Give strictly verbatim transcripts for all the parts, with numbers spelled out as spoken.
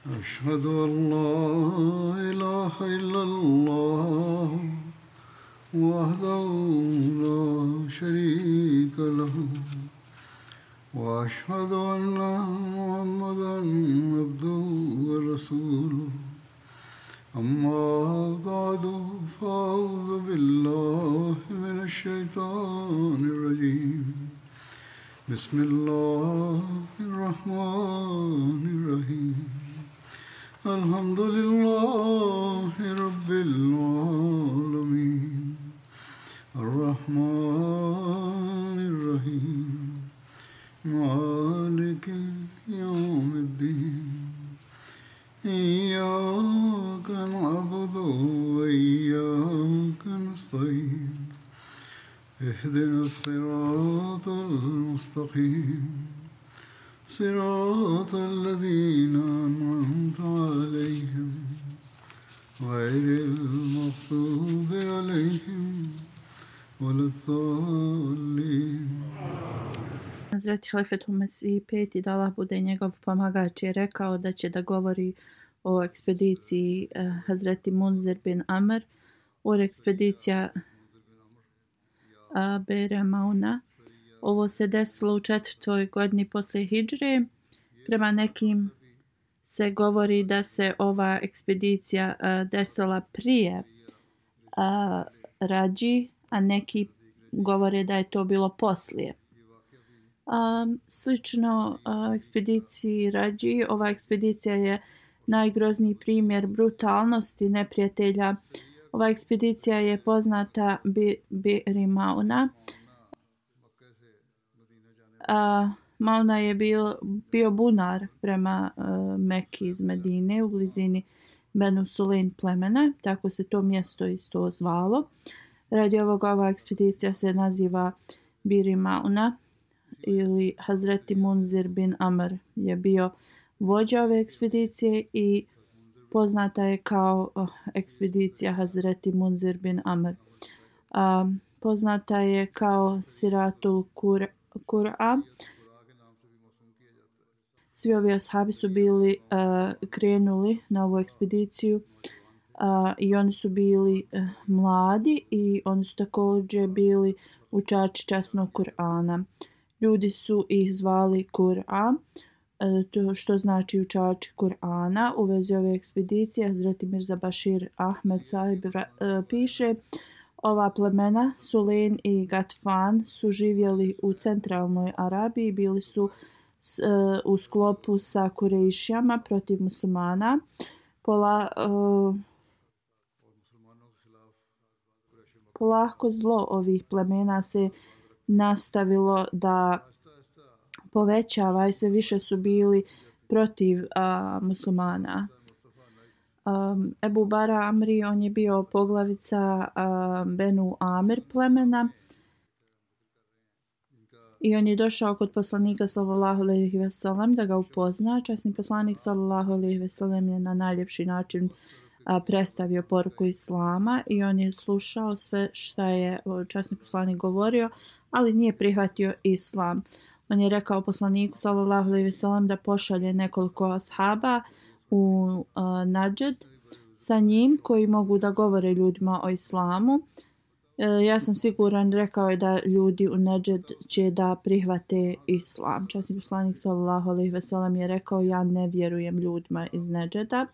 أشهد أن لا إله إلا الله وحده لا شريك له وأشهد أن محمدا عبده ورسوله أما بعد فأعوذ بالله من الشيطان الرجيم بسم الله الرحمن الرحيم الحمد لله رب العالمين الرحمن الرحيم مالك يوم الدين إياك نعبد وإياك نستعين اهدنا الصراط المستقيم صراط الذين أنعمت عليهم غير المغضوب عليهم ولا الضالين. Hazreti Halifetul Mesih peti, da Allah bude njegov pomagač, je rekao da će da govori o ekspediciji eh, Hazreti Munzir bin Amr, o ekspedicija eh, Bere Mauna. Ovo se desilo u četvrtoj godini poslije hidžre. Prema nekim se govori da se ova ekspedicija uh, desila prije uh, Rađi, a neki govore da je to bilo poslije. Um, slično uh, ekspediciji Rađi, ova ekspedicija je najgrozniji primjer brutalnosti neprijatelja. Ova ekspedicija je poznata Bi'ri Mauna. Uh, Mauna je bio, bio bunar prema uh, Mekki iz Medine u blizini Benu Sulaim plemena, tako se to mjesto isto zvalo. Radi ovoga ova ekspedicija se naziva Bi'ri Mauna ili Hazreti Munzir bin Amr je bio vođa ove ekspedicije i poznata je kao uh, ekspedicija Hazreti Munzir bin Amr. Uh, poznata je kao Siratul Kur Kur'a. Svi ovi ashabi su bili uh, krenuli na ovu ekspediciju uh, i oni su bili uh, mladi i oni su također bili učači časnog Kur'ana. Ljudi su ih zvali Kur'a, uh, to što znači učači Kur'ana. U vezi ove ekspedicije Hazreti Mirza Bashir Ahmed Sahib uh, piše: ova plemena, Sulaim i Gatfan, su živjeli u centralnoj Arabiji, bili su s, uh, u sklopu sa Kurejšijama protiv muslimana. Pola, uh, polako zlo ovih plemena se nastavilo da povećava i sve više su bili protiv uh, muslimana. Um, Ebu Bara Amri, on je bio poglavica um, Benu Amir plemena i on je došao kod poslanika sallallahu alejhi ve sellem da ga upozna. Časni poslanik sallallahu alejhi ve sellem je na najljepši način a, predstavio poruku islama i on je slušao sve što je časni poslanik govorio, ali nije prihvatio islam. On je rekao poslaniku sallallahu alejhi ve sellem da pošalje nekoliko ashaba u uh, Nađed sa njim koji mogu da govore ljudima o islamu. E, ja sam siguran, rekao je da ljudi u Nađed će da prihvate islam. Časni poslanik sallallahu alejhi ve sellem je rekao: ja ne vjerujem ljudima iz Nađeda.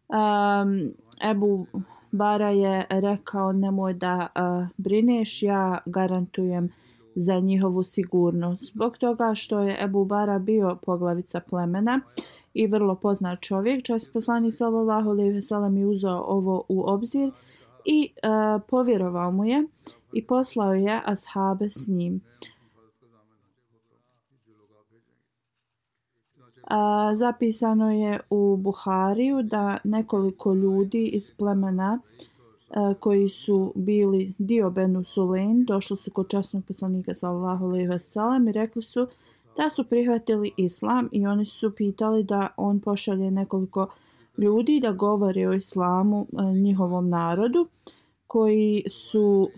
Um, Ebu Bara je rekao: nemoj da uh, brineš, ja garantujem za njihovu sigurnost. Zbog toga što je Ebu Bara bio poglavica plemena i vrlo poznat čovjek, časni poslanik sallallahu alejhi ve sellem je uzeo ovo u obzir i uh, povjerovao mu je i poslao je ashabe s njim. Uh, zapisano je u Buhariju da nekoliko ljudi iz plemena koji su bili dio Benu Sulaim došli su kod časnog poslanika sallallahu alejhi ve sellem i rekli su da su prihvatili islam i oni su pitali da on pošalje nekoliko ljudi da govore o islamu njihovom narodu koji su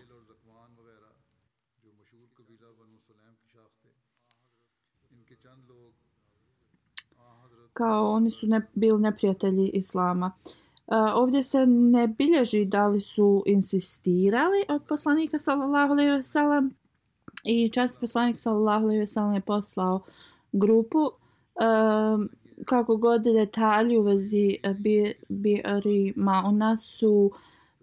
kao oni su ne, bili neprijatelji islama. Uh, ovdje se ne bilježi da li su insistirali od poslanika sallallahu alejhi ve sellem i časni poslanik sallallahu alejhi ve sellem je poslao grupu. Uh, kako god detalji u vezi Bi'ri Mauna su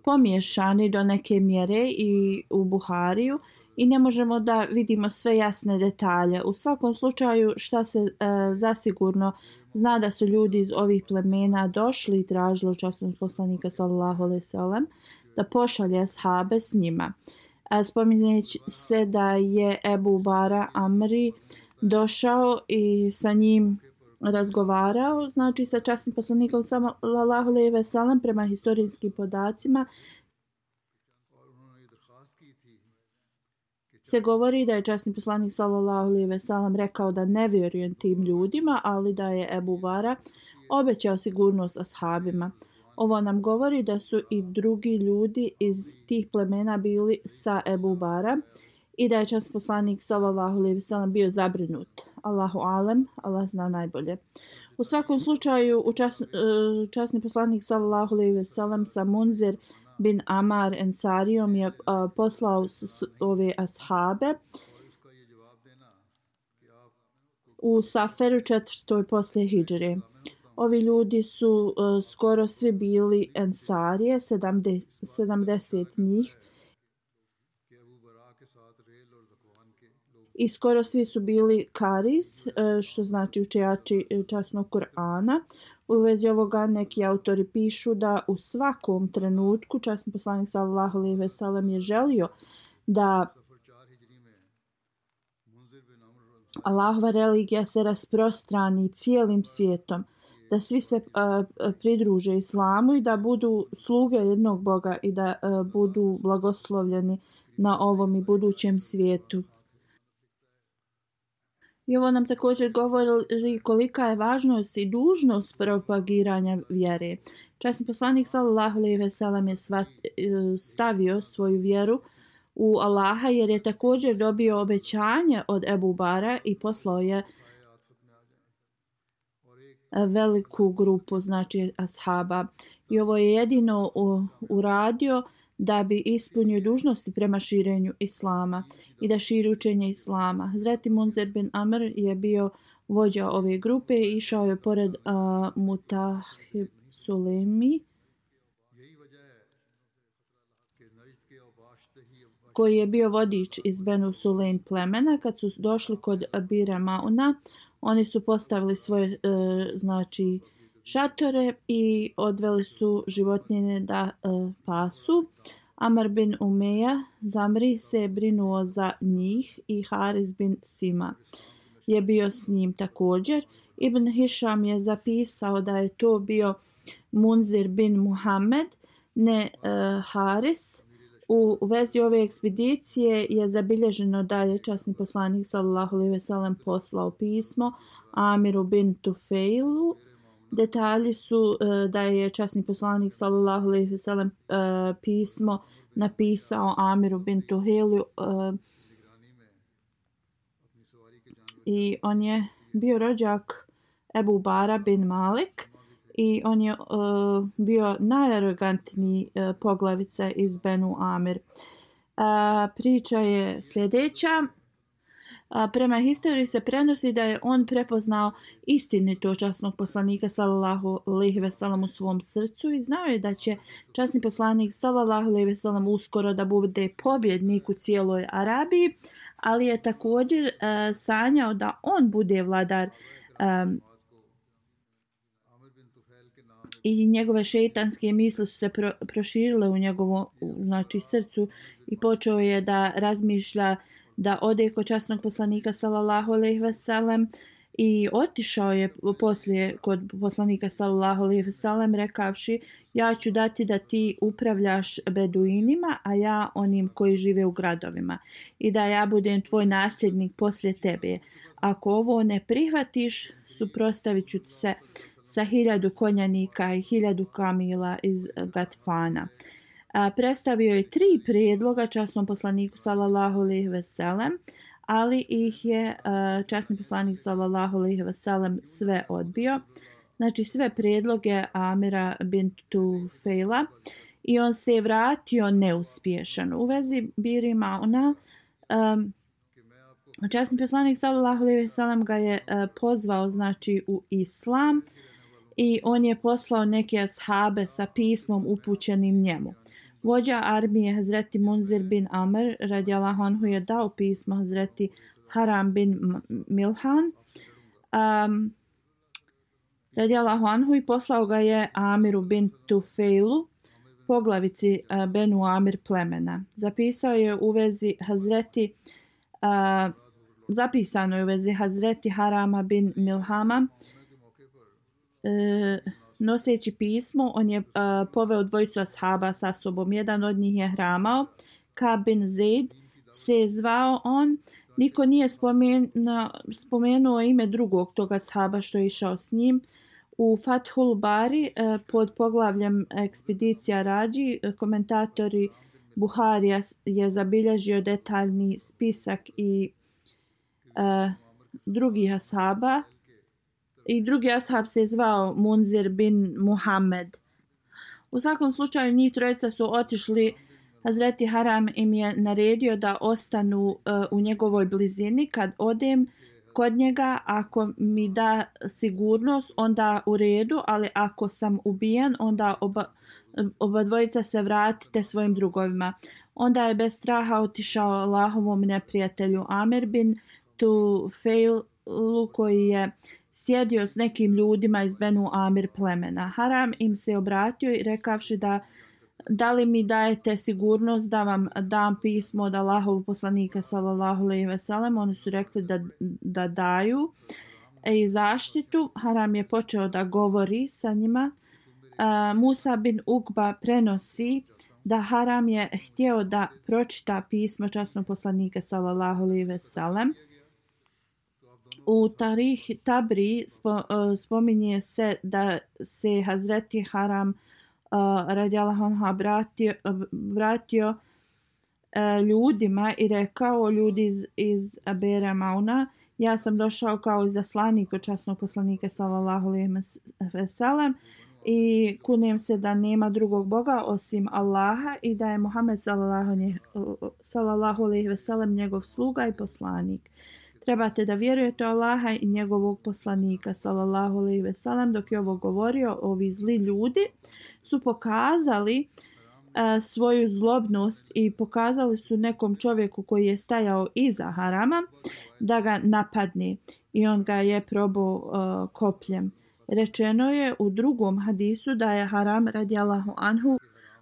pomiješani do neke mjere i u Buhariju i ne možemo da vidimo sve jasne detalje. U svakom slučaju šta se e, zasigurno zna da su ljudi iz ovih plemena došli i tražili časnog poslanika sallallahu alejhi ve sellem da pošalje ashabe s njima. E, spominje se da je Ebu Bara Amri došao i sa njim razgovarao, znači sa časnim poslanikom sallallahu alejhi ve sellem prema historijskim podacima. Se govori da je časni poslanik sallallahu alejhi ve sellem rekao da ne vjeruje tim ljudima, ali da je Ebu Bara obećao sigurnost ashabima. Ovo nam govori da su i drugi ljudi iz tih plemena bili sa Ebu Bara i da je časni poslanik sallallahu alejhi ve sellem bio zabrinut. Allahu alem, Allah zna najbolje. U svakom slučaju, čas, časni poslanik sallallahu alejhi ve sellem sa Munzir bin Amar Ensarijom je uh, poslao s, s, ove ashabe u Saferu četvrtoj poslije hidžre. Ovi ljudi su uh, skoro svi bili Ensarije, sedamdeset, sedamdeset njih. I skoro svi su bili karis, što znači učenjači časnog Kur'ana. U vezi ovoga neki autori pišu da u svakom trenutku časni poslanik sallallahu alejhi ve sellem je želio da Allahova religija se rasprostrani cijelim svijetom, da svi se uh, pridruže islamu i da budu sluge jednog Boga i da uh, budu blagoslovljeni na ovom i budućem svijetu. I ovo nam također govori kolika je važnost i dužnost propagiranja vjere. Časni poslanik sallallahu alejhi ve sellem je stavio svoju vjeru u Allaha jer je također dobio obećanje od Ebu Bara i poslao je veliku grupu, znači ashaba. I ovo je jedino uradio da bi ispunio dužnosti prema širenju islama i da širi učenje islama. Hazreti Munzir bin Amr je bio vođa ove grupe i išao je pored uh, Mutahib Sulemi, koji je bio vodič iz Benu Sulaim plemena. Kad su došli kod Bira Mauna, oni su postavili svoje uh, znači šatore i odveli su životinje da uh, pasu. Amar bin Umeja Zamri se je brinuo za njih i Haris bin Sima je bio s njim također. Ibn Hišam je zapisao da je to bio Munzir bin Muhammed, ne uh, Haris. U vezi ove ekspedicije je zabilježeno da je časni poslanik sallallahu alejhi ve sellem poslao pismo Amiru bin Tufeilu. Detalji su uh, da je časni poslanik sallallahu alejhi ve sellem uh, pismo napisao Amiru bin Tuheilu uh, i on je bio rođak Ebu Bara bin Malik i on je uh, bio najarogantniji uh, poglavica iz Benu Amir. Uh, priča je sljedeća. A, prema historiji se prenosi da je on prepoznao istinito časnog poslanika sallallahu alejhi ve sellem u svom srcu i znao je da će časni poslanik sallallahu alejhi ve sellem uskoro da bude pobjednik u cijeloj Arabiji, ali je također uh, sanjao da on bude vladar um, i njegove šejtanske misli su se pro, proširile u njegovom znači srcu i počeo je da razmišlja da ode kod časnog poslanika sallallahu alejhi ve sellem i otišao je poslije kod poslanika sallallahu alejhi ve sellem rekavši: ja ću dati da ti upravljaš beduinima, a ja onim koji žive u gradovima i da ja budem tvoj nasljednik poslije tebe. Ako ovo ne prihvatiš, suprotstavit ću se sa hiljadu konjanika i hiljadu kamila iz Gatfana. A, predstavio je tri prijedloga časnom poslaniku sallallahu alejhi ve sellem, ali ih je uh, časni poslanik sallallahu alejhi ve sellem sve odbio. Znači sve prijedloge Amira bin Tufejla i on se je vratio neuspješan. U vezi Biri Mauna um, časni poslanik sallallahu alejhi ve sellem ga je uh, pozvao znači u islam i on je poslao neke ashabe sa pismom upućenim njemu. Vođa armije Hazreti Munzir bin Amr radijallahu anhu je dao pismo Hazreti Haram bin Milhan um, radijallahu anhu i poslao ga je Amiru bin Tufejlu, poglavici uh, Benu Amir plemena. Zapisao je u vezi Hazreti uh, zapisano je u vezi Hazreti Harama bin Milhama uh, noseći pismo, on je uh, poveo dvojicu ashaba sa sobom. Jedan od njih je hramao, Ka'b bin Zaid se je zvao on. Niko nije spomenuo, spomenuo ime drugog toga ashaba što je išao s njim. U Fathul Bari uh, pod poglavljem ekspedicija Rađi komentatori Buharija je zabilježio detaljni spisak i uh, drugih ashaba. I drugi ashab se zvao Munzir bin Muhammed. U svakom slučaju njih trojica su otišli. Hazreti Haram im je naredio da ostanu uh, u njegovoj blizini. Kad odem kod njega, ako mi da sigurnost, onda u redu, ali ako sam ubijen, onda oba, oba dvojica se vratite svojim drugovima. Onda je bez straha otišao Allahovom neprijatelju Amir bin Tufejlu koji je sjedio s nekim ljudima iz Benu Amir plemena. Haram im se obratio i rekavši da da li mi dajete sigurnost da vam dam pismo od Allahovog poslanika sallallahu alejhi ve sellem. Oni su rekli da, da daju i zaštitu. Haram je počeo da govori sa njima. Uh, Musa bin Ukba prenosi da Haram je htio da pročita pismo časnog poslanika sallallahu alejhi ve sellem. U Tarih Tabri spo, spominje se da se Hazreti Haram uh, radijallahu anhu vratio, vratio uh, ljudima i rekao ljudi iz, iz Bera Mauna, ja sam došao kao izaslanik od časnog poslanika sallallahu alejhi ve sellem i kunem se da nema drugog Boga osim Allaha i da je Muhammed sallallahu alejhi ve sellem njegov sluga i poslanik. Trebate da vjerujete Allaha i njegovog poslanika sallallahu alejhi ve sellem. Dok je ovo govorio, ovi zli ljudi su pokazali uh, svoju zlobnost i pokazali su nekom čovjeku koji je stajao iza Harama da ga napadne i on ga je probao uh, kopljem. Rečeno je u drugom hadisu da je Haram radijallahu anhu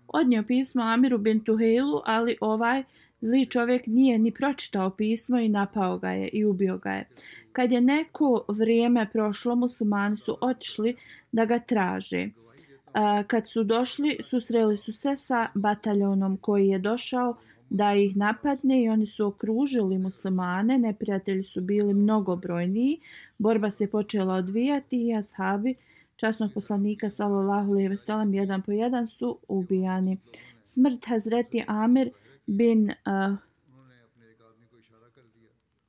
odnio pismo Amiru bin Tufejlu, ali ovaj zli čovjek nije ni pročitao pismo i napao ga je i ubio ga je. Kad je neko vrijeme prošlo, muslimani su otišli da ga traže. Kad su došli, susreli su se sa bataljonom koji je došao da ih napadne i oni su okružili muslimane. Neprijatelji su bili mnogobrojniji. Borba se počela odvijati i ashabi časnog poslanika sallallahu alejhi ve sellem jedan po jedan su ubijani. Smrt Hazreti Amir bin uh,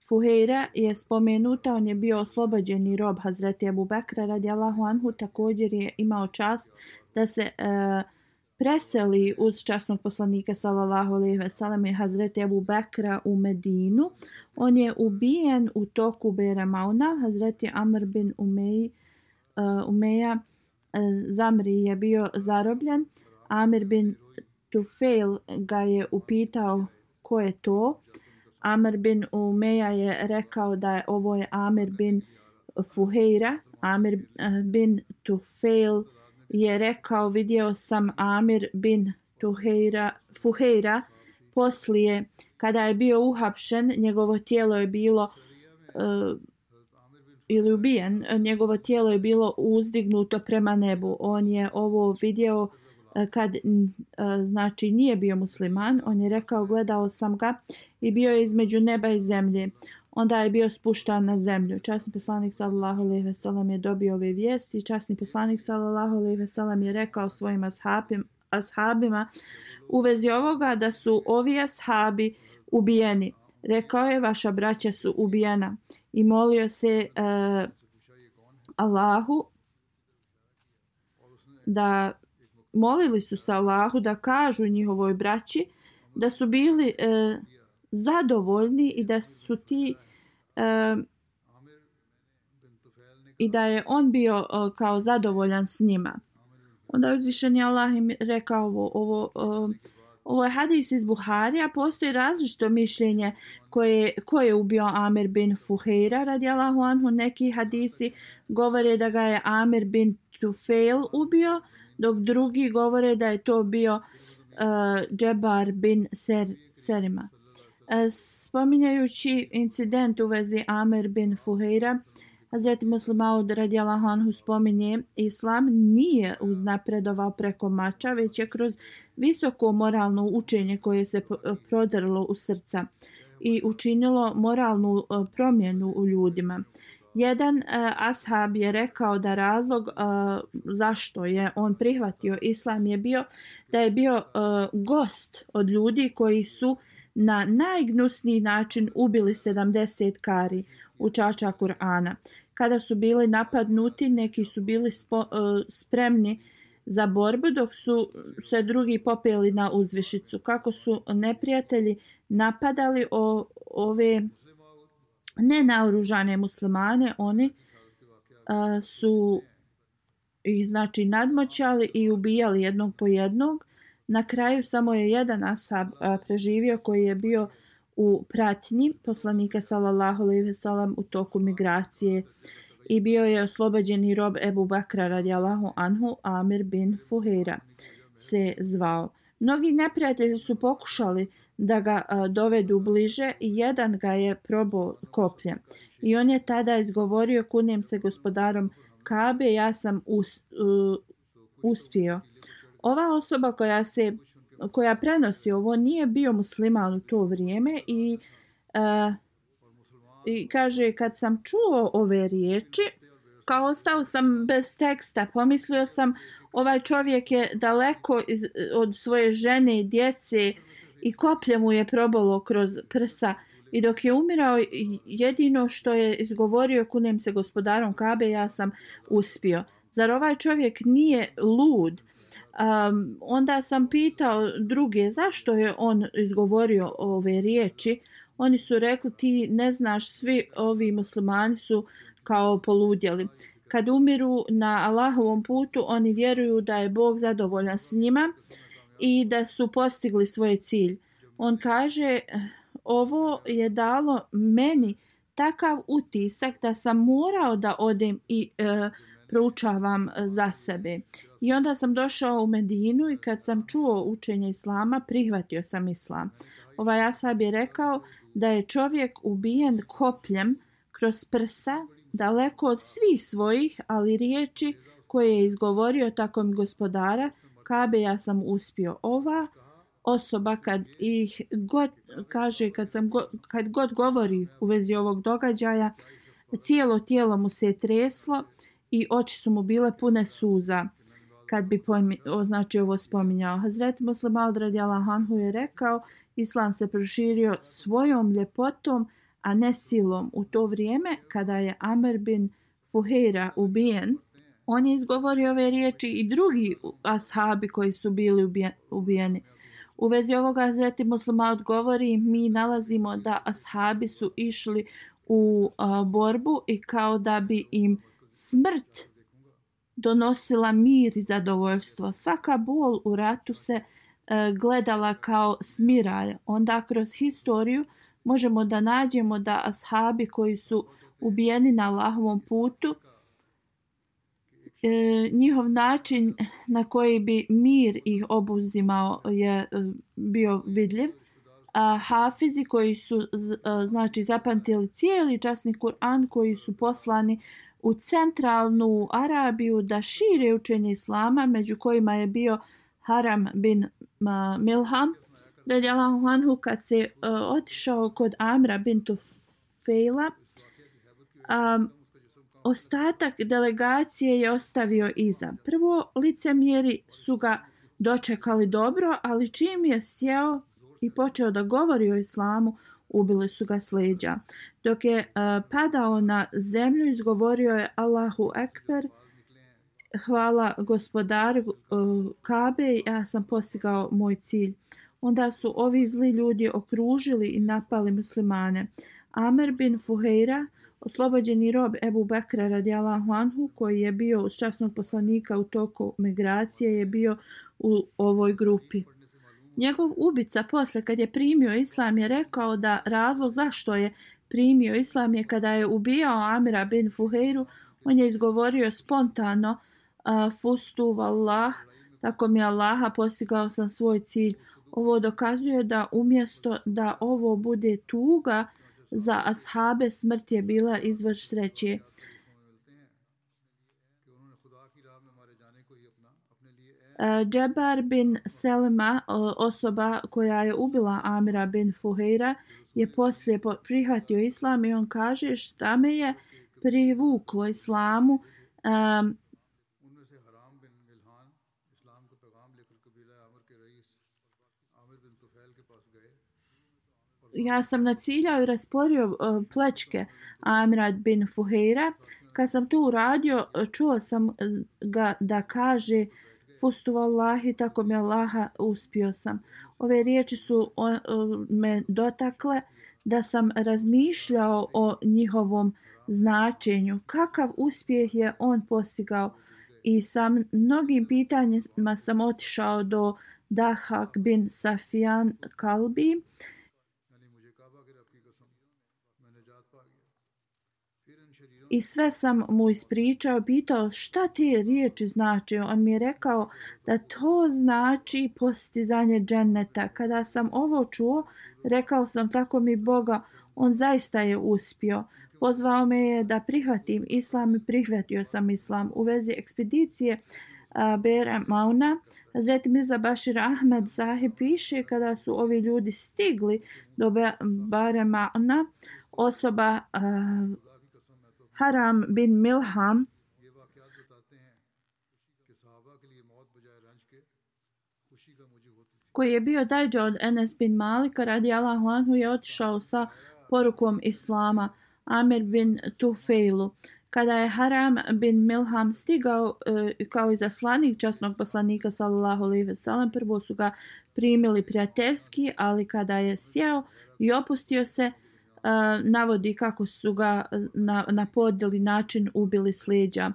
Fuhejra je spomenuta, on je bio oslobođeni rob Hazreti Ebu Bekra radijallahu anhu, također je imao čast da se uh, preseli uz časnog poslanika sallallahu alejhi ve sellem i Hazreti Ebu Bekra u Medinu. On je ubijen u toku Bera Mauna. Hazreti Amr bin Umej, uh, Umeja uh, Zamri je bio zarobljen. Amir bin Tufejl ga je upitao ko je to. Amr bin Umeja je rekao da je ovo je Amir bin Fuhejra. Amir bin Tufejl je rekao vidio sam Amir bin Tuhejra, Fuhejra poslije kada je bio uhapšen, njegovo tijelo je bilo uh, ili ubijen, njegovo tijelo je bilo uzdignuto prema nebu. On je ovo vidio kad znači nije bio musliman. On je rekao gledao sam ga i bio je između neba i zemlje. Onda je bio spuštan na zemlju. Časni poslanik sallallahu alejhi ve sellem je dobio ove vijesti. Časni poslanik sallallahu alejhi ve sellem je rekao svojim ashabim, ashabima u vezi ovoga da su ovi ashabi ubijeni. Rekao je, vaša braća su ubijena i molio se uh, Allahu da molili su se Allahu da kažu njihovoj braći da su bili uh, zadovoljni i da su ti uh, i da je on bio uh, kao zadovoljan s njima. Onda uzvišeni Allah im rekao ovo, ovo, uh, ovo je hadis iz Buharija, postoji različito mišljenje koje, koje je ubio Amir bin Fuheira radijallahu anhu. Neki hadisi govore da ga je Amir bin Tufail ubio, dok drugi govore da je to bio uh, Džebar bin Ser, Serima. Uh, spominjajući incident u vezi Amir bin Fuheira, Hazreti Muslim Maud radijallahu anhu spominje, islam nije uznapredovao preko mača, već je kroz visoko moralno učenje koje se prodrlo u srca i učinilo moralnu promjenu u ljudima. Jedan uh, ashab je rekao da razlog uh, zašto je on prihvatio islam je bio da je bio uh, gost od ljudi koji su na najgnusniji način ubili sedamdeset kari učača Kur'ana. Kada su bili napadnuti, neki su bili spo, uh, spremni za borbu, dok su se drugi popeli na uzvišicu. Kako su neprijatelji napadali o, ove nenaoružane muslimane, oni uh, su ih znači nadmoćali i ubijali jednog po jednog. Na kraju samo je jedan ashab uh, preživio koji je bio u pratnji poslanika sallallahu alejhi ve sellem u toku migracije i bio je oslobođeni rob Ebu Bakra radijallahu anhu. Amir bin Fuheira se zvao. Mnogi neprijatelji su pokušali da ga uh, dovedu bliže i jedan ga je probao kopljem. I on je tada izgovorio, kunijem se gospodarom Kabe, ja sam us, uh, uspio. Ova osoba koja se koja prenosi ovo nije bio musliman u to vrijeme i, uh, i kaže, kad sam čuo ove riječi, kao ostao sam bez teksta, pomislio sam ovaj čovjek je daleko iz, od svoje žene i djece i koplje mu je probalo kroz prsa i dok je umirao jedino što je izgovorio, kunem se gospodarom Kabe, ja sam uspio. Zar ovaj čovjek nije lud? Um, onda sam pitao druge zašto je on izgovorio ove riječi. Oni su rekli, ti ne znaš, svi ovi muslimani su kao poludjeli. Kad umiru na Allahovom putu, oni vjeruju da je Bog zadovoljan s njima i da su postigli svoj cilj. On kaže, ovo je dalo meni takav utisak da sam morao da odem i e, proučavam za sebe. I onda sam došao u Medinu i kad sam čuo učenje islama, prihvatio sam islam. Ovaj ashab je rekao da je čovjek ubijen kopljem kroz prsa, daleko od svih svojih, ali riječi koje je izgovorio tako mi gospodara Kabe, ja sam uspio. Ova osoba kad ih god kaže, kad, sam go, kad god govori u vezi ovog događaja, cijelo tijelo mu se je treslo i oči su mu bile pune suza kad bi pojmi, o, znači ovo spominjao. Hazreti Muslim Maud radijallahu anhu je rekao, islam se proširio svojom ljepotom, a ne silom. U to vrijeme kada je Amr bin Fuheira ubijen, on je izgovorio ove riječi i drugi ashabi koji su bili ubijeni. U vezi ovoga Hazreti Muslim Maud govori, mi nalazimo da ashabi su išli u a, borbu i kao da bi im smrt donosila mir i zadovoljstvo. Svaka bol u ratu se e, gledala kao smiraj. Onda kroz historiju možemo da nađemo da ashabi koji su ubijeni na Allahovom putu, e, njihov način na koji bi mir ih obuzimao je e, bio vidljiv. A hafizi koji su z, e, znači zapamtili cijeli časni Kur'an, koji su poslani u centralnu Arabiju da šire učenje islama, među kojima je bio Haram bin uh, Milham radijallahu anhu, kad se uh, otišao kod Amra bin Tufaila, um, ostatak delegacije je ostavio iza. Prvo, licemjeri su ga dočekali dobro, ali čim je sjeo i počeo da govori o islamu, ubili su ga s leđa. Dok je uh, padao na zemlju, izgovorio je Allahu Ekber, hvala gospodaru uh, Kabe, ja sam postigao moj cilj. Onda su ovi zli ljudi okružili i napali muslimane. Amer bin Fuheira, oslobođeni rob Ebu Bekra radijallahu anhu, koji je bio uz časnog poslanika u toku migracije, je bio u ovoj grupi. Njegov ubica posle kad je primio islam je rekao da razlog zašto je primio islam je kada je ubijao Amira bin Fuheiru, on je izgovorio spontano uh, fustu vallah, tako mi Allaha postigao sam svoj cilj. Ovo dokazuje da umjesto da ovo bude tuga za ashabe, smrt je bila izvor sreće. Džebar bin Selma, osoba koja je ubila Amira bin Fuheira, je poslije prihvatio islam i on kaže šta me je privuklo islamu. Um, ja sam naciljao i rasporio uh, plečke Amira bin Fuheira. Kad sam to uradio, čuo sam ga da kaže fustu vallahi, tako mi Allaha, uspio sam. Ove riječi su o, o, me dotakle da sam razmišljao o njihovom značenju. Kakav uspjeh je on postigao? I sa mnogim pitanjima sam otišao do Dahak bin Safijan Kalbi. I sve sam mu ispričao, pitao šta te riječi znači. On mi je rekao da to znači postizanje dženneta. Kada sam ovo čuo, rekao sam tako mi Boga, on zaista je uspio. Pozvao me je da prihvatim islam i prihvatio sam islam. U vezi ekspedicije uh, Bera Mauna, Hazret Mirza Bashir Ahmed Sahib piše kada su ovi ljudi stigli do Bera Mauna, osoba uh, Haram bin Milham koji je bio dajđa od Enes bin Malika radijallahu anhu je otišao sa porukom islama Amir bin Tufailu. Kada je Haram bin Milham stigao e, kao izaslanik časnog poslanika sallallahu alejhi ve sellem, prvo su ga primili prijateljski, ali kada je sjeo i opustio se, Uh, navodi kako su ga na, na podjeli način ubili s leđa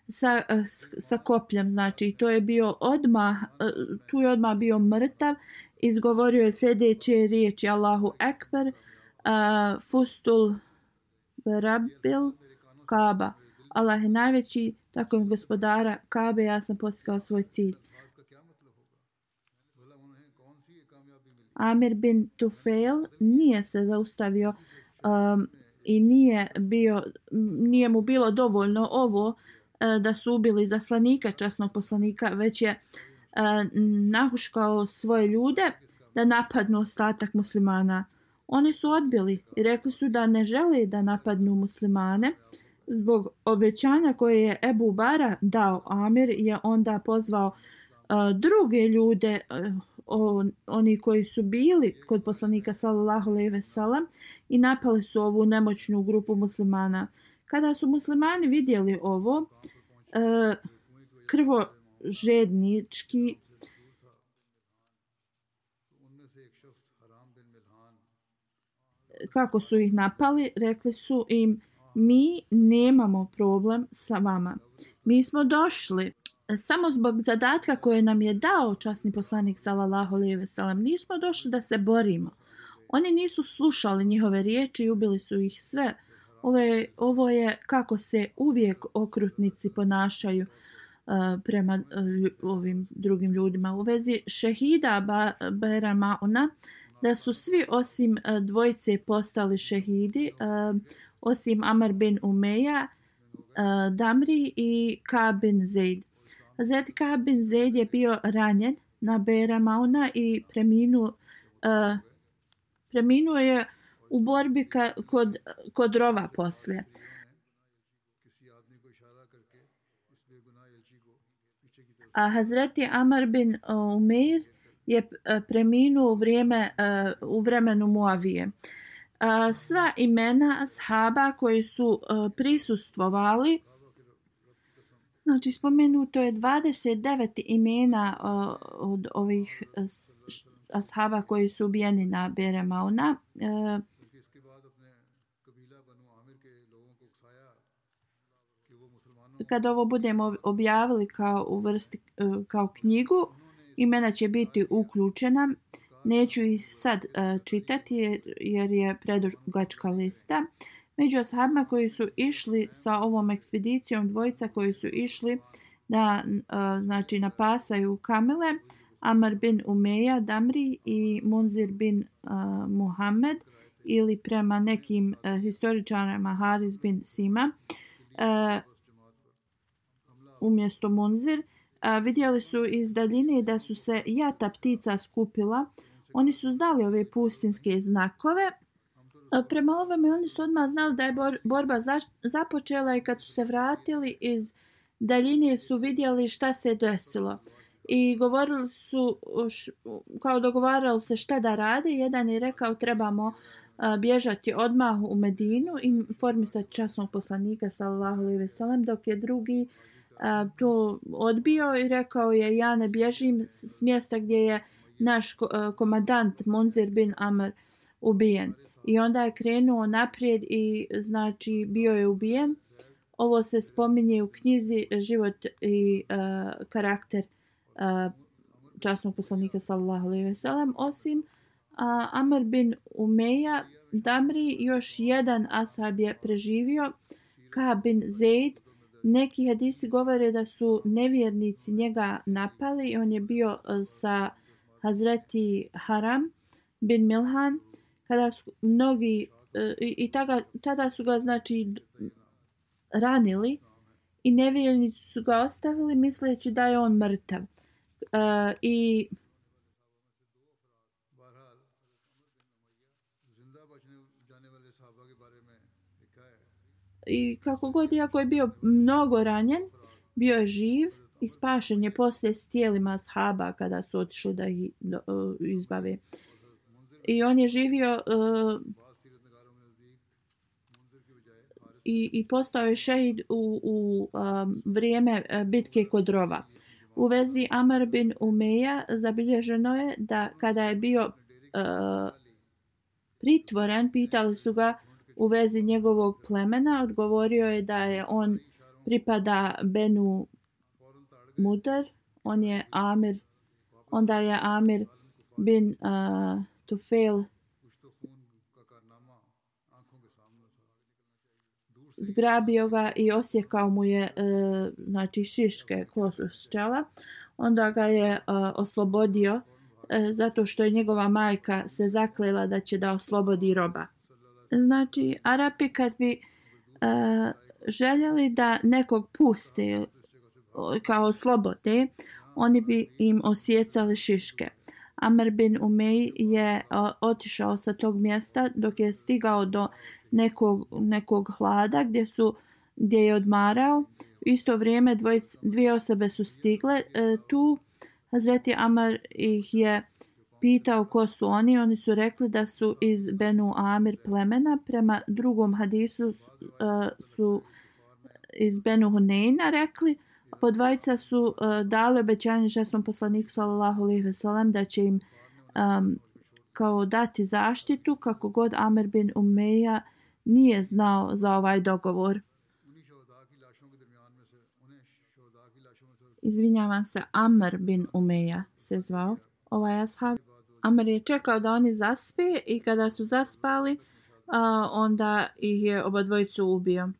sa, uh, sa kopljem, znači to je bio odmah, uh, tu je odmah bio mrtav, izgovorio je sljedeće riječi Allahu Ekber, uh, Fustul Rabbil Kaaba, Allah je najveći, tako je gospodara Kabe, ja sam postigao svoj cilj. Amir bin Tufail nije se zaustavio um, i nije, bio, nije mu bilo dovoljno ovo uh, da su ubili zaslanika, časnog poslanika, već je uh, nahuškao svoje ljude da napadnu ostatak muslimana. Oni su odbili i rekli su da ne žele da napadnu muslimane. Zbog obećanja koje je Ebu Bara dao Amir je onda pozvao uh, druge ljude, uh, On, oni koji su bili kod poslanika sallallahu alejhi ve sellem i napali su ovu nemoćnu grupu muslimana. Kada su muslimani vidjeli ovo, e, krvožednički kako su ih napali, rekli su im mi nemamo problem sa vama. Mi smo došli samo zbog zadatka koje nam je dao časni poslanik sallallahu alejhi ve sellem. Nismo došli da se borimo. Oni nisu slušali njihove riječi i ubili su ih sve. Ovo je, ovo je kako se uvijek okrutnici ponašaju uh, prema uh, ovim drugim ljudima. U vezi šehida ba, Bera Mauna, da su svi osim uh, dvojice postali šehidi, uh, osim Amr bin Umeja, uh, Damri i Ka bin Zaid. Hazret Ka bin Zaid je bio ranjen na Bera Mauna i preminuo, uh, preminuo je u borbi ka, kod, kod rova poslije. A Hazreti Amr bin Umeir je preminuo u, vrijeme, uh, u vremenu Muavije. uh, sva imena ashaba koji su uh, prisustvovali. Znači, spomenuto je dvadeset devet imena uh, od ovih uh, ashaba koji su ubijeni na Bere Mauna. Uh, Kad ovo budemo objavili kao u vrsti uh, kao knjigu, imena će biti uključena. Neću ih sad uh, čitati jer, jer je predugačka lista. Među ashabima koji su išli sa ovom ekspedicijom, dvojica koji su išli da uh, znači napasaju kamele, Amr bin Umeja Damri i Munzir bin uh, Muhammed, ili prema nekim uh, historičarima Haris bin Sima uh, umjesto Munzir. Uh, vidjeli su iz daljine da su se jata ptica skupila. Oni su znali ove pustinske znakove. Prema ovome oni su odmah znali da je borba započela i kad su se vratili iz daljine su vidjeli šta se desilo. I govorili su, kao dogovarali se šta da rade. Jedan je rekao trebamo bježati odmah u Medinu i informisati časnog poslanika sallallahu alejhi ve sellem, dok je drugi to odbio i rekao je ja ne bježim s mjesta gdje je naš komandant Munzir bin Amr ubijen. I onda je krenuo naprijed i znači bio je ubijen. Ovo se spominje u knjizi Život i uh, karakter uh, časnog poslanika sallallahu alejhi ve sellem. Osim uh, Amr bin Umeja Damri, još jedan ashab je preživio, Ka bin Zeid. Neki hadisi govore da su nevjernici njega napali i on je bio uh, sa Hazreti Haram bin Milhan. Kada su mnogi uh, i, i tada, tada su ga znači ranili i nevjernici su ga ostavili misleći da je on mrtav. Uh, i I kako god, iako je bio mnogo ranjen, bio je živ i spašen je poslije s tijelima ashaba kada su otišli da ih uh, izbave. I on je živio uh, i, i postao je šehid u, u um, vrijeme bitke kod Rova. U vezi Amr bin Umeja zabilježeno je da kada je bio uh, pritvoren, pitali su ga u vezi njegovog plemena, odgovorio je da je on pripada Benu Mudar, on je Amir, onda je Amir bin uh, Tufail zgrabio ga i osjekao mu je uh, znači šiške kosu s čela. Onda ga je uh, oslobodio uh, zato što je njegova majka se zaklela da će da oslobodi roba. Znači, Arapi kad bi uh, željeli da nekog puste kao slobode, oni bi im osjecali šiške. Amr bin Umej je uh, otišao sa tog mjesta dok je stigao do nekog, nekog hlada gdje, su, gdje je odmarao. U isto vrijeme dvojic, dvije osobe su stigle uh, tu. Hazreti Amr ih je pitao ko su oni. Oni su rekli da su iz Benu Amir plemena. Prema drugom hadisu uh, su iz Benu Huneyna rekli. Po dvojica su uh, dali obećanje časnom poslaniku sallallahu alejhi ve sellem da će im um, kao dati zaštitu, kako god Amr bin Umeja nije znao za ovaj dogovor. Izvinjavam se, Amr bin Umeja se zvao ovaj ashab. Amr je čekao da oni zaspe i kada su zaspali, uh, onda ih je oba dvojicu ubio.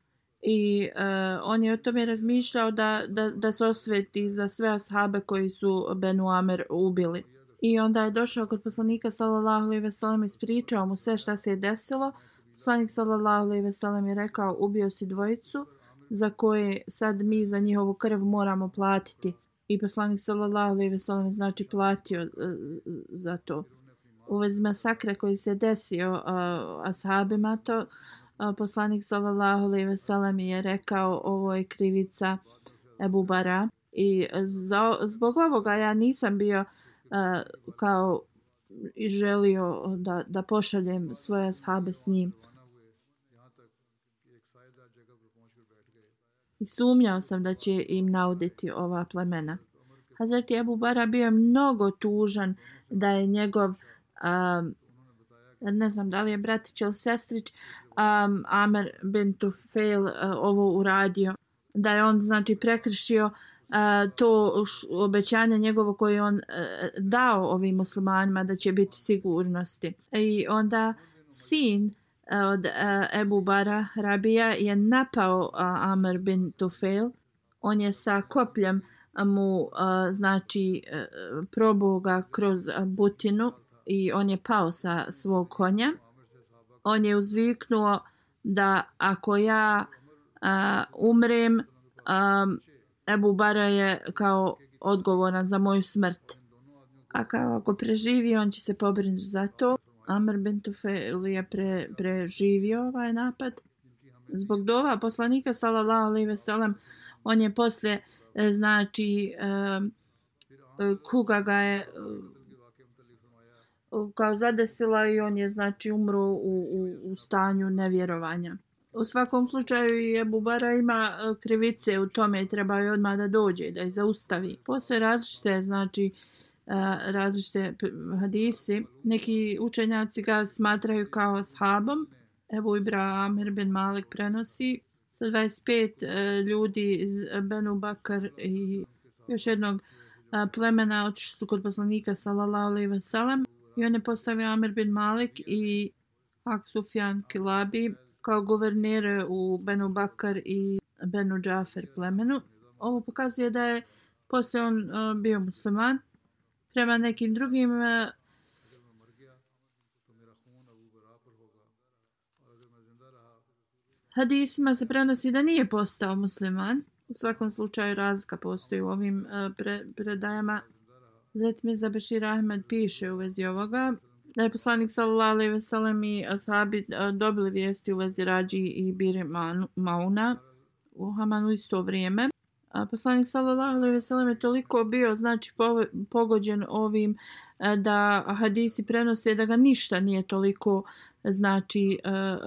I uh, on je o tome razmišljao da, da, da se osveti za sve ashabe koji su Benu Amr ubili. I onda je došao kod poslanika sallallahu alejhi ve sellem, ispričao mu sve šta se je desilo. Poslanik sallallahu alejhi ve sellem je rekao ubio si dvojicu za koje sad mi za njihovu krv moramo platiti. I poslanik sallallahu alejhi ve sellem je znači platio uh, za to. U vezi masakra koji se desio uh, ashabima, to uh, poslanik sallallahu alejhi ve sellem je rekao ovo je krivica Ebu Bara. I za, zbog ovoga ja nisam bio uh, kao i želio da, da pošaljem svoje ashabe s njim. I sumnjao sam da će im nauditi ova plemena. Hazreti Ebu Bara bio je mnogo tužan da je njegov, um, ne znam da li je bratić ili sestrić, um, Amer bin Tufail uh, ovo uradio. Da je on znači prekršio uh, to š, obećanje njegovo koje je on uh, dao ovim muslimanima da će biti sigurnosti. I onda sin uh, od uh, Ebu Bara Rabija je napao uh, Amer bin Tufail. On je sa kopljem mu uh, znači uh, probao ga kroz uh, butinu i on je pao sa svog konja. On je uzviknuo da ako ja uh, umrem, um, Ebu Bara je kao odgovoran za moju smrt. A kao ako preživi, on će se pobrinuti za to. Amr bin Tufail je pre, preživio ovaj napad. Zbog dova poslanika sallallahu alejhi ve sellem, on je poslije znači um, kuga ga je um, kao zadesila i on je znači umro u, u, u stanju nevjerovanja. U svakom slučaju i Ebu Bara ima krivice u tome i treba je odmah da dođe, da je zaustavi. Postoje različite, znači, različite hadisi. Neki učenjaci ga smatraju kao ashabom. Ebu Ibrahim Amir bin Malik prenosi sa dvadeset pet ljudi iz Benu Bakar i još jednog plemena otišli su kod poslanika sallallahu alejhi ve sellem i on je postavio Amir bin Malik i Ak Sufjan Kilabi kao guvernere u Benu Bakar i Benu Džafer plemenu. Ovo pokazuje da je poslije on uh, bio musliman. Prema nekim drugim uh, hadisima se prenosi da nije postao musliman. U svakom slučaju razlika postoji u ovim uh, pre, predajama. Zet Mirza Bešir Ahmed piše u vezi ovoga da je poslanik sallallahu alejhi ve sellem i ashabi dobili vijesti u vezi Rađi i Bir Mauna u Hamanu isto vrijeme. A poslanik sallallahu alejhi ve sellem je toliko bio znači pogođen ovim da hadisi prenose da ga ništa nije toliko znači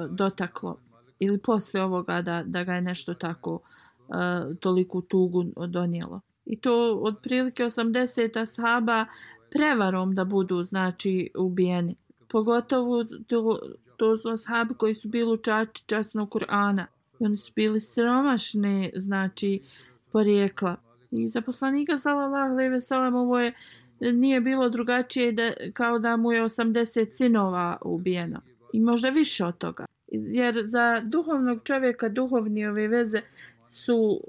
dotaklo ili poslije ovoga da, da ga je nešto tako toliku tugu donijelo. I to otprilike osamdeset ashaba prevarom da budu znači ubijeni. Pogotovo to, to su ashabi koji su bili učači časnog Kur'ana. I oni su bili siromašni znači porijekla. I za poslanika sallallahu alejhi ve sellem ovo je nije bilo drugačije da, kao da mu je osamdeset sinova ubijeno. I možda više od toga. Jer za duhovnog čovjeka duhovni ove veze su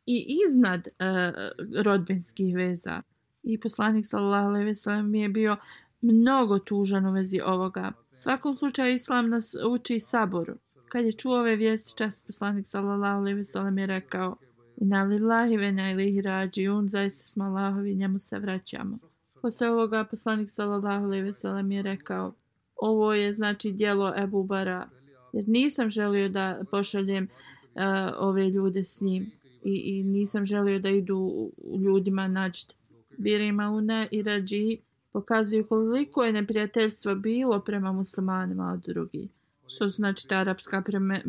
i iznad uh, rodbinskih veza. I poslanik sallallahu alejhi ve sellem je bio mnogo tužan u vezi ovoga. U svakom slučaju islam nas uči saboru. Kad je čuo ove vijesti, čast poslanik sallallahu alejhi ve sellem je rekao: Inna lillahi ve inna ilaihi rađiun, zaista smo Allahovi, njemu se vraćamo. Posle ovoga poslanik sallallahu alejhi ve sellem je rekao: ovo je znači djelo Ebu Bara, jer nisam želio da pošaljem uh, ove ljude s njim i, i nisam želio da idu ljudima nađt. Bir Mauna i Rađi pokazuju koliko je neprijateljstva bilo prema muslimanima od drugih. Što znači ta arapska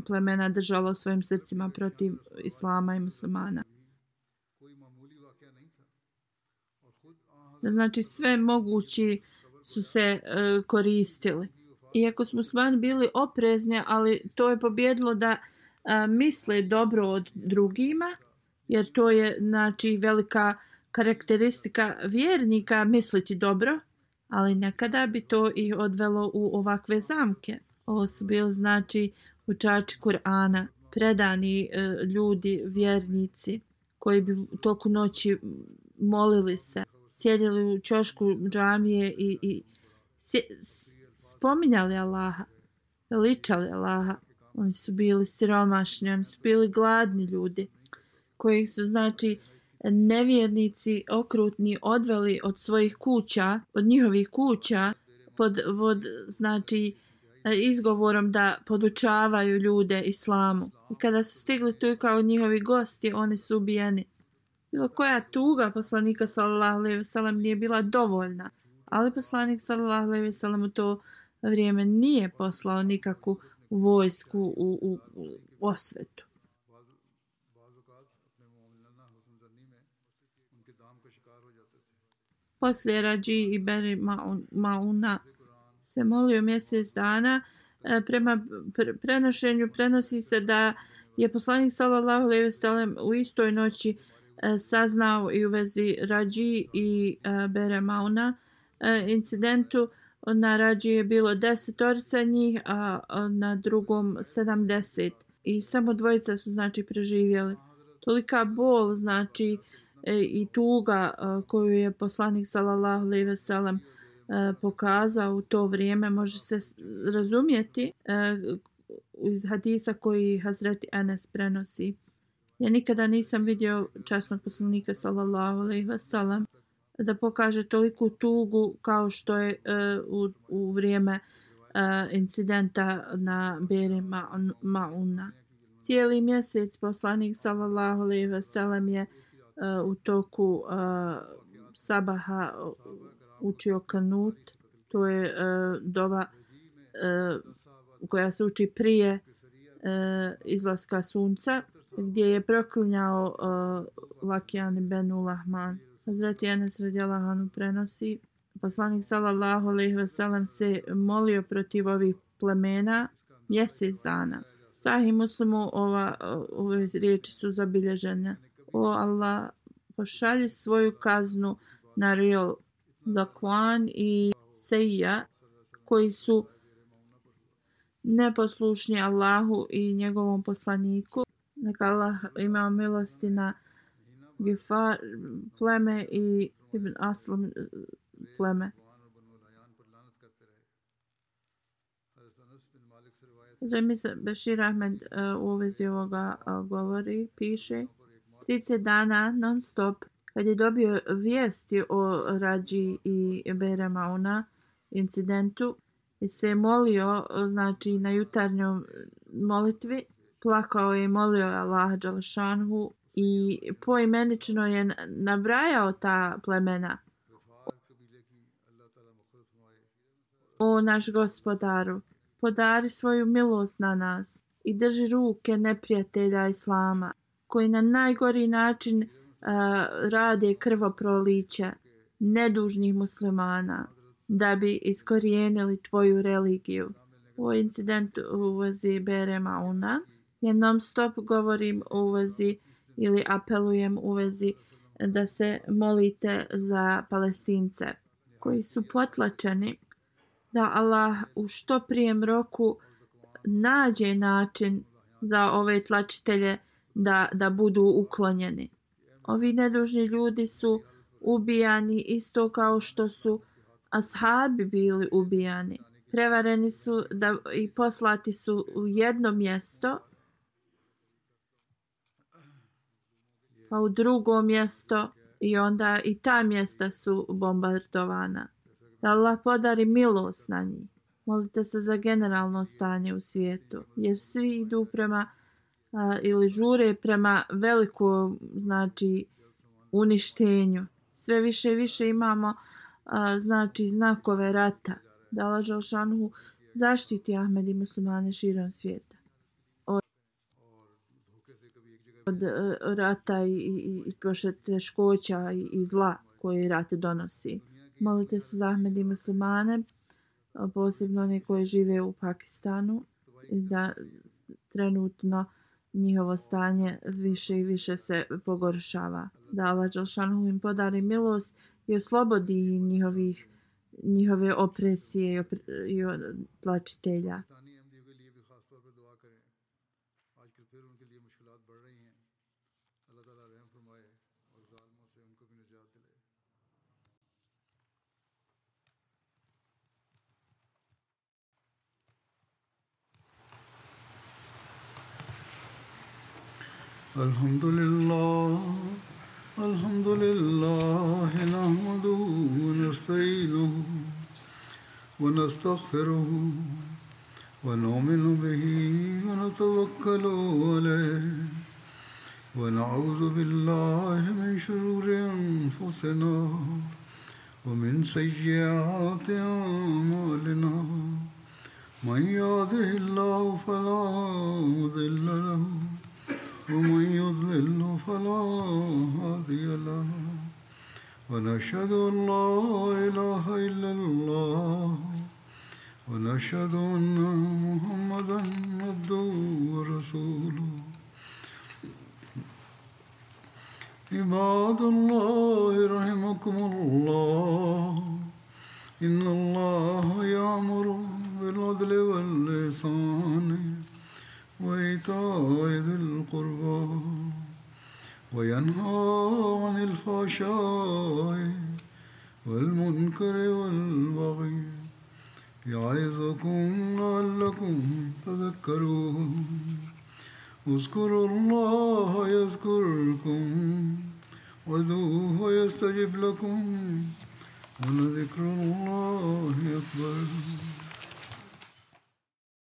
plemena držala u svojim srcima protiv islama i muslimana. Znači sve mogući su se uh, koristili. Iako su muslimani bili oprezni, ali to je pobjedilo da uh, misle dobro od drugima, jer to je znači velika karakteristika vjernika misliti dobro, ali nekada bi to i odvelo u ovakve zamke. Ovo su bili znači učači Kur'ana, predani e, ljudi, vjernici, koji bi toku noći molili se, sjedili u ćošku džamije i, i sje, spominjali Allaha, veličali Allaha. Oni su bili siromašni, oni su bili gladni ljudi, koji su znači nevjernici okrutni odveli od svojih kuća, od njihovih kuća, pod, pod znači izgovorom da podučavaju ljude islamu. I kada su stigli tu kao njihovi gosti, oni su ubijeni. Bilo koja tuga poslanika sallallahu alejhi ve sellem nije bila dovoljna Ali poslanik sallallahu alejhi ve sellem u to vrijeme nije poslao nikakvu vojsku u, u, u osvetu. Poslije Rađi i Beri Mauna se molio mjesec dana. Prema prenošenju prenosi se da je poslanik sallallahu alejhi ve sellem u istoj noći saznao i u vezi Rađi i Bere Mauna incidentu. Na Rađi je bilo desetorica njih, a na drugom sedamdeset. I samo dvojica su znači preživjeli. Tolika bol znači i tuga koju je poslanik sallallahu alejhi ve sellem pokazao u to vrijeme može se razumjeti iz hadisa koji Hazreti Enes prenosi. Ja nikada nisam vidio časnog poslanika sallallahu alejhi ve sellem da pokaže toliku tugu kao što je u, u vrijeme incidenta na Beri Mauna. Cijeli mjesec poslanik sallallahu alejhi ve sellem je u toku sabaha učio kanut. To je dova koja se uči prije izlaska sunca, gdje je proklinjao Lakijan ibn Lahman. Hazreti Enes radijallahu anhu prenosi, poslanik sallallahu alejhi ve sellem se molio protiv ovih plemena mjesec dana. Sahih Muslimu ova, ove riječi su zabilježene. O Allah, pošalji svoju kaznu na Ril, Zakwan i Seija, koji su neposlušni Allahu i njegovom poslaniku. Neka Allah ima milosti na Gifar pleme i Ibn Aslam pleme. Zemisa Bešir Ahmed u vezi ovoga govori, piše trideset dana non stop kad je dobio vijesti o Rađi i Bere Mauna incidentu i se molio znači na jutarnjoj molitvi, plakao je i molio Allaha dželešanhu i poimenično je nabrajao ta plemena. O naš gospodaru, podari svoju milost na nas i drži ruke neprijatelja Islama, koji na najgori način uh, rade krvoproliće nedužnih muslimana da bi iskorijenili tvoju religiju. O incidentu u vezi Bere Mauna ja non stop govorim u vezi ili apelujem u vezi da se molite za Palestince koji su potlačeni, da Allah u što prijem roku nađe način za ove tlačitelje da, da budu uklonjeni. Ovi nedužni ljudi su ubijani isto kao što su ashabi bili ubijani. Prevareni su da, i poslati su u jedno mjesto, pa u drugo mjesto i onda i ta mjesta su bombardovana. Da Allah podari milost na njih. Molite se za generalno stanje u svijetu, jer svi idu prema a, ili žure prema velikom znači uništenju. Sve više i više imamo a, znači znakove rata. Da Allah dželešanhu zaštiti Ahmed i muslimane širom svijeta od, od rata i, i, i teškoća i, i zla koje rat donosi. Molite se za Ahmed i muslimane, posebno oni koji žive u Pakistanu, da trenutno njihovo stanje više i više se pogoršava. Da Allah dželešanhu im podari milost i oslobodi njihovih njihove opresije i, opre, i tlačitelja. Alhamdulillah, alhamdulillah, nahmaduhu wa nasta'inuhu wa nastaghfiruhu wa nu'minu bihi wa natawakkalu alayhi wa na'udhu billahi min shururi anfusina ومن سيئات أعمالنا من يهده الله فلا مضل له ومن يضلل فلا هادي له ونشهد أن لا إله إلا الله ونشهد أن محمدا عبده ورسوله عباد الله رحمكم الله إن الله يأمر بالعدل والإحسان وإيتاء ذي القربى وينهى عن الفحشاء والمنكر والبغي يعظكم لعلكم تذكرون اذكروا الله يذكركم وادعوه يستجب لكم ولذكر الله أكبر